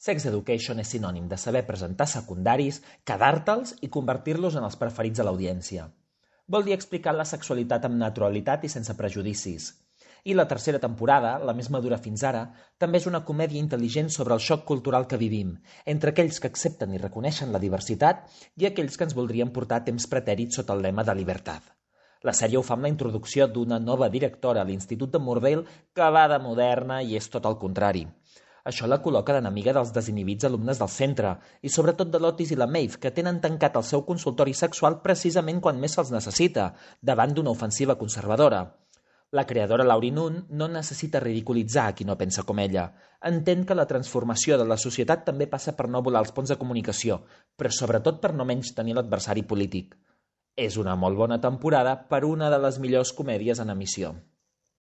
Sex Education és sinònim de saber presentar secundaris, quedar-te'ls i convertir-los en els preferits de l'audiència. Vol dir explicar la sexualitat amb naturalitat i sense prejudicis. I la tercera temporada, la més madura fins ara, també és una comèdia intel·ligent sobre el xoc cultural que vivim, entre aquells que accepten i reconeixen la diversitat i aquells que ens voldrien portar a temps pretèrits sota el lema de llibertat. La sèrie ho fa amb la introducció d'una nova directora a l'Institut de Moordale que va de moderna i és tot el contrari. Això la col·loca d'enemiga dels desinhibits alumnes del centre i sobretot de l'Otis i la Maeve, que tenen tancat el seu consultori sexual precisament quan més se'ls necessita, davant d'una ofensiva conservadora. La creadora Laurie Nunn no necessita ridiculitzar a qui no pensa com ella. Entén que la transformació de la societat també passa per no volar els ponts de comunicació, però sobretot per no menys tenir l'adversari polític. És una molt bona temporada per una de les millors comèdies en emissió.